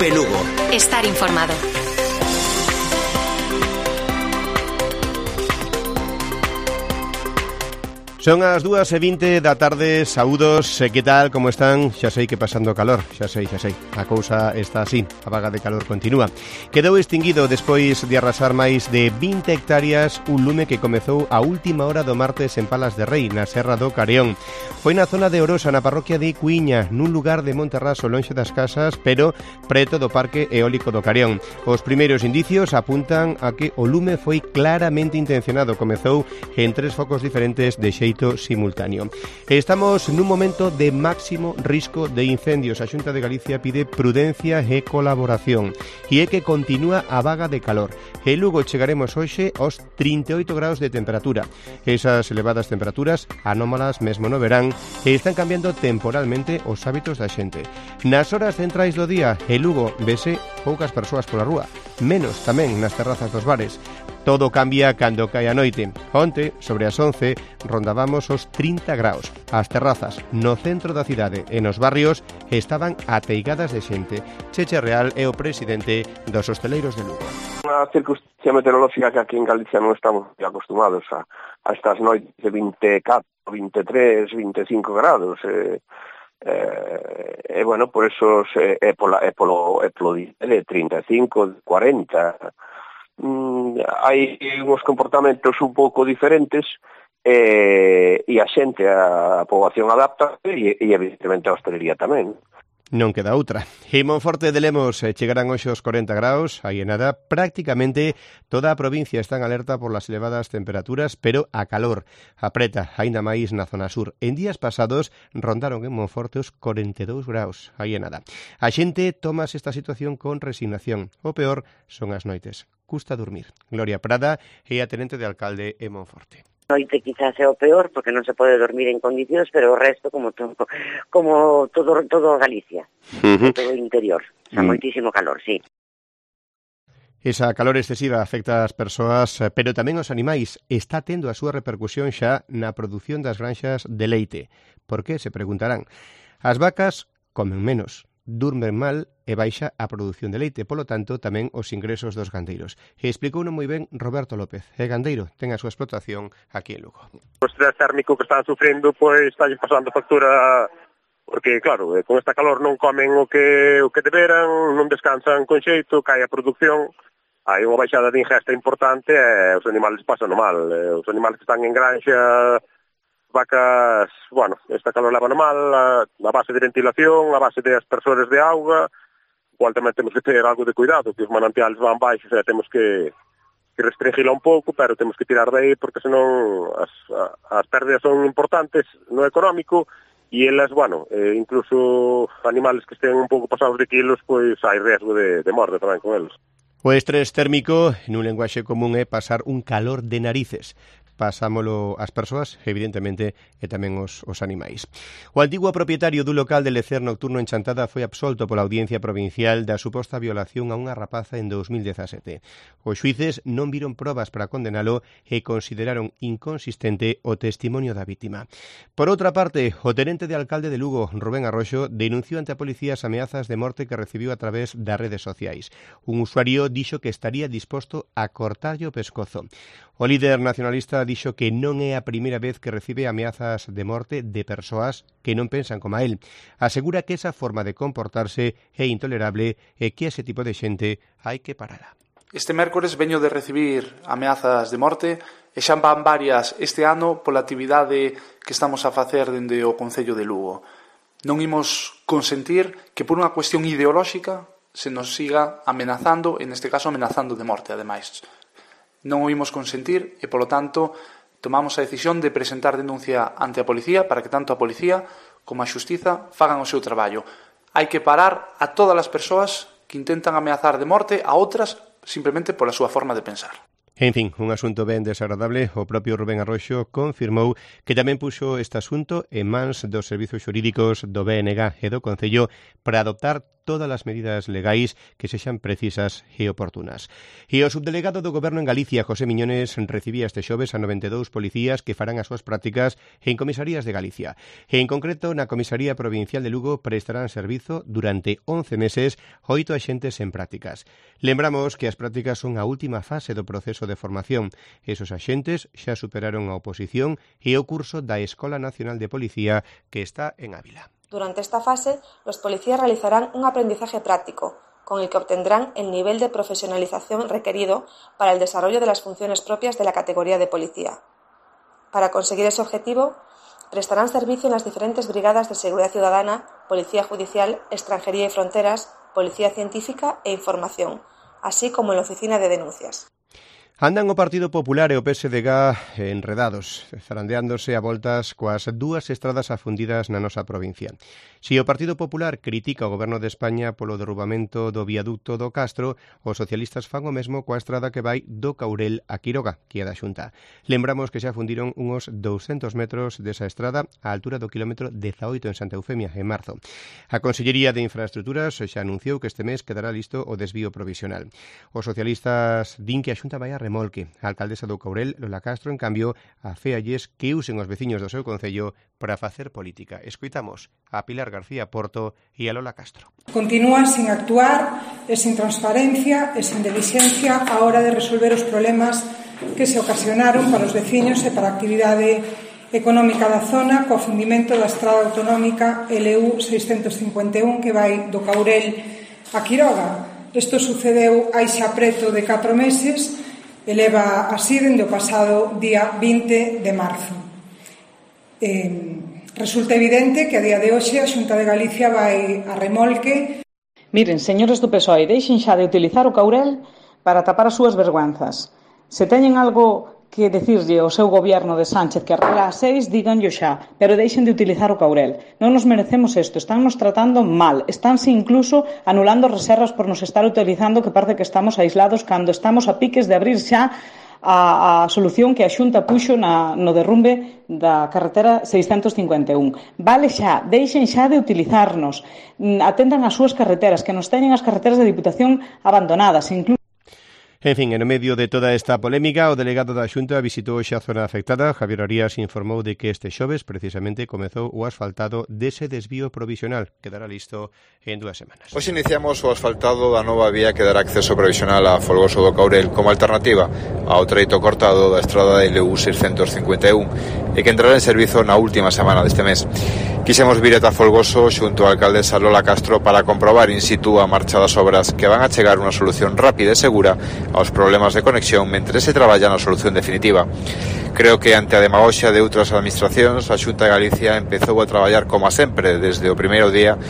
Cope Lugo. Estar informado. Son as 2:20 da tarde, saúdos, que tal, como están? Xa sei que pasando calor, xa sei, a cousa está así, a vaga de calor continúa. Quedou extinguido despois de arrasar máis de 20 hectáreas un lume que comezou a última hora do martes en Palas de Rei, na Serra do Careón. Foi na zona de Orosa, na parroquia de Cuíña, nun lugar de Monterraso, lonxe das casas, pero preto do Parque Eólico do Careón. Os primeiros indicios apuntan a que o lume foi claramente intencionado, comezou en 3 focos diferentes de xeito simultáneo. Estamos nun momento de máximo risco de incendios. A Xunta de Galicia pide prudencia e colaboración. E é que continúa a vaga de calor. En Lugo chegaremos hoxe aos 38 graus de temperatura. Esas elevadas temperaturas, anómalas mesmo no verán, e están cambiando temporalmente os hábitos da xente. Nas horas centrais do día, en Lugo vese poucas persoas pola rúa, menos tamén nas terrazas dos bares. Todo cambia cando cae a noite. Onte, sobre as 11, rondábamos os 30 graus. As terrazas no centro da cidade e nos barrios estaban ateigadas de xente. Cheche Real é o presidente dos hosteleiros de Lugo. Unha circunstancia meteorológica que aquí en Galicia non estamos acostumados a estas noites de 24, 23, 25 grados. Bueno, por eso é polo de 35, 40. Hai uns comportamentos un pouco diferentes e a xente, a poboación adapta e evidentemente a hostelería tamén. Non queda outra. En Monforte de Lemos chegarán hoxe os 40 graus, aí en nada, prácticamente toda a provincia está en alerta por las elevadas temperaturas, pero a calor apreta, aínda máis na zona sur. En días pasados rondaron en Monforte os 42 graus, aí en nada. A xente tomase esta situación con resignación. O peor son as noites. Custa dormir. Gloria Prada é a tenente de alcalde en Monforte. Noite quizás é o peor porque non se pode dormir en condicións, pero o resto como todo Galicia, todo o interior, moitísimo calor, sí. Esa calor excesiva afecta ás persoas, pero tamén aos animais. Está tendo a súa repercusión xa na produción das granxas de leite. Por que? Se preguntarán. As vacas comen menos, durmen mal e baixa a produción de leite, polo tanto, tamén os ingresos dos gandeiros. E explicouno moi ben Roberto López, é gandeiro, ten a súa explotación aquí en Lugo. O estrés térmico que están sufrindo, pois, está pasando factura, porque, claro, con esta calor non comen o que deberan, non descansan con xeito, cae a produción, hai unha baixada de ingesta importante e os animales pasan mal. Os animales que están en granxa, vacas, bueno, esta calor leva mal, a base de ventilación, a base de aspersores de auga, igual tamén temos que ter algo de cuidado, que os manantiales van baixos e temos que restringila un pouco, pero temos que tirar de aí porque senón as pérdidas son importantes no económico e elas, bueno, incluso animales que estén un pouco pasados de kilos, pois hai riesgo de morte tamén con eles. O estrés térmico, nun lenguaxe común, é pasar un calor de narices. Pasámolo as persoas, evidentemente, e tamén os animais. O antigo propietario do local de lecer nocturno en Chantada foi absolto pola Audiencia Provincial da suposta violación a unha rapaza en 2017. Os xuíces non viron probas para condenalo e consideraron inconsistente o testimonio da vítima. Por outra parte, o tenente de alcalde de Lugo, Rubén Arroxo, denunciou ante a policía as ameazas de morte que recibiu a través das redes sociais. Un usuario dixo que estaría disposto a cortarlle o pescozo. O líder nacionalista dixo que non é a primeira vez que recibe ameazas de morte de persoas que non pensan como a él. Asegura que esa forma de comportarse é intolerable e que ese tipo de xente hai que parala. Este mércores veño de recibir ameazas de morte e xa van varias este ano pola actividade que estamos a facer dende o Concello de Lugo. Non imos consentir que por unha cuestión ideolóxica se nos siga amenazando, en este caso amenazando de morte, ademais. Non o imos consentir e, polo tanto, tomamos a decisión de presentar denuncia ante a policía para que tanto a policía como a xustiza fagan o seu traballo. Hai que parar a todas as persoas que intentan ameazar de morte a outras simplemente pola súa forma de pensar. En fin, un asunto ben desagradable. O propio Rubén Arroxo confirmou que tamén puxo este asunto en mans dos servizos xurídicos do BNG e do Concello para adoptar todas as medidas legais que sexan precisas e oportunas. E o subdelegado do Goberno en Galicia, José Miñones, recibía este xoves a 92 policías que farán as súas prácticas en comisarías de Galicia. E en concreto, na Comisaría Provincial de Lugo prestarán servizo durante 11 meses 8 axentes en prácticas. Lembramos que as prácticas son a última fase do proceso de formación. Esos axentes xa superaron a oposición e o curso da Escola Nacional de Policía que está en Ávila. Durante esta fase, los policías realizarán un aprendizaje práctico, con el que obtendrán el nivel de profesionalización requerido para el desarrollo de las funciones propias de la categoría de policía. Para conseguir ese objetivo, prestarán servicio en las diferentes brigadas de seguridad ciudadana, policía judicial, extranjería y fronteras, policía científica e información, así como en la oficina de denuncias. Andan o Partido Popular e o PSDG enredados, zarandeándose a voltas coas dúas estradas afundidas na nosa provincia. Si o Partido Popular critica o Goberno de España polo derrubamento do viaducto do Castro, os socialistas fan o mesmo coa estrada que vai do Caurel a Quiroga, que é da Xunta. Lembramos que xa fundiron uns 200 metros desa estrada á altura do kilómetro 18 en Santa Eufemia, en marzo. A Consellería de Infraestructuras xa anunciou que este mes quedará listo o desvío provisional. Os socialistas din que a Xunta vai a remolque. A alcaldesa do Caurel, Lola Castro, en cambio, aféalles que usen os veciños do seu concello para facer política. Escoitamos a Pilar García Porto e a Lola Castro. Continúan sin actuar e sin transparencia e sin dilixencia á hora de resolver os problemas que se ocasionaron para os veciños e para a actividade económica da zona co fundimento da estrada autonómica LU 651 que vai do Caurel a Quiroga. Isto sucedeu hai xa preto de 4 meses e leva así dende o pasado día 20 de marzo. Resulta evidente que a día de hoxe a Xunta de Galicia vai a remolque. Miren, señores do PSOE, deixen xa de utilizar o Caurel para tapar as súas vergüenzas. Se teñen algo que decirlle ao seu goberno de Sánchez que arregla a 6, díganllo xa, pero deixen de utilizar o Caurel. Non nos merecemos isto, están nos tratando mal, estánse incluso anulando reservas por nos estar utilizando que parece que estamos aislados cando estamos a piques de abrir xa a solución que a Xunta puxo no derrumbe da carretera 651. Vale xa, deixen xa de utilizarnos, atendan as súas carreteras, que nos teñen as carreteras de Diputación abandonadas, incluso. En fin, en medio de toda esta polémica, o delegado da Xunta visitou xa a zona afectada. Javier Arias informou de que este xoves precisamente comezou o asfaltado dese desvío provisional. Quedará listo en 2 semanas. Hoxe iniciamos o asfaltado da nova vía que dará acceso provisional a Folgoso do Caurel como alternativa ao treito cortado da estrada de LU 651 e que entrará en servizo na última semana deste mes. Quixemos vir ata Folgoso xunto á alcaldesa Lola Castro para comprobar in situ a marcha das obras que van a chegar unha solución rápida e segura aos problemas de conexión mentre se traballa na solución definitiva. Creo que ante a demagoxia de outras administracións, a Xunta de Galicia empezou a traballar como sempre desde o primeiro día.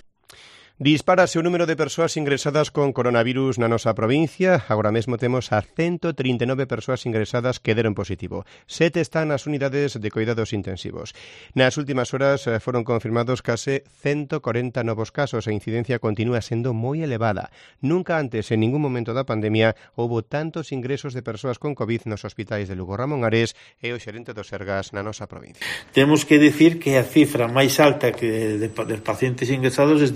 Dispárase o número de persoas ingresadas con coronavirus na nosa provincia. Agora mesmo temos a 139 persoas ingresadas que deron positivo. 7 están nas unidades de cuidados intensivos. Nas últimas horas foron confirmados case 140 novos casos. A incidencia continúa sendo moi elevada. Nunca antes, en ningún momento da pandemia, houbo tantos ingresos de persoas con COVID nos hospitais de Lugo. Ramón Ares é o xerente do Sergas na nosa provincia. Temos que dicir que a cifra máis alta que de pacientes ingresados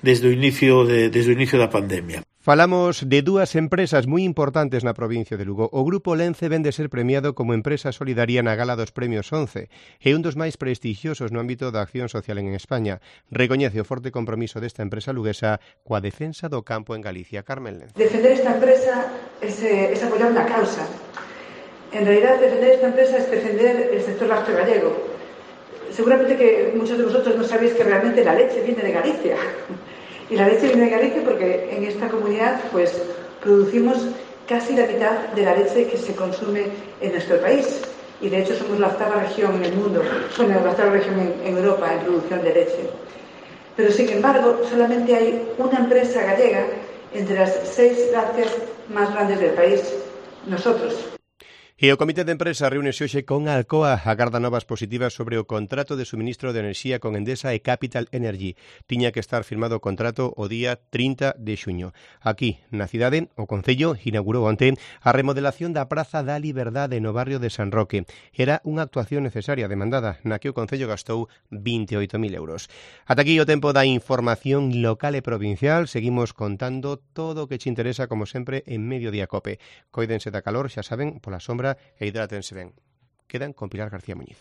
desde o inicio da pandemia. Falamos de 2 empresas moi importantes na provincia de Lugo. O Grupo Lence ven de ser premiado como empresa solidaria na Gala dos Premios 11 e un dos máis prestixiosos no ámbito da acción social en España. Recoñece o forte compromiso desta empresa luguesa coa defensa do campo en Galicia. Carmen Lence. Defender esta empresa es apoyar una causa. En realidad, defender esta empresa es defender el sector lácteo gallego. Seguramente que muchos de vosotros no sabéis que realmente la leche viene de Galicia. Y la leche viene de Galicia porque en esta comunidad pues producimos casi la mitad de la leche que se consume en nuestro país. Y de hecho somos la 8ª región en el mundo, la 8ª región en Europa en producción de leche. Pero sin embargo, solamente hay una empresa gallega entre las 6 lácteas más grandes del país, nosotros. E o Comité de Empresa reúnese hoxe con Alcoa, agarda novas positivas sobre o contrato de suministro de enerxía con Endesa e Capital Energy. Tiña que estar firmado o contrato o día 30 de xuño. Aquí, na cidade, o Concello inaugurou onte a remodelación da Praza da Liberdade no barrio de San Roque. Era unha actuación necesaria demandada, na que o Concello gastou 28.000 euros. Ata aquí o tempo da información local e provincial. Seguimos contando todo o que che interesa, como sempre, en Mediodía Cope. Coídense da calor, xa saben, pola sombra, e hidrátense ben. Quedan con Pilar García Muñiz.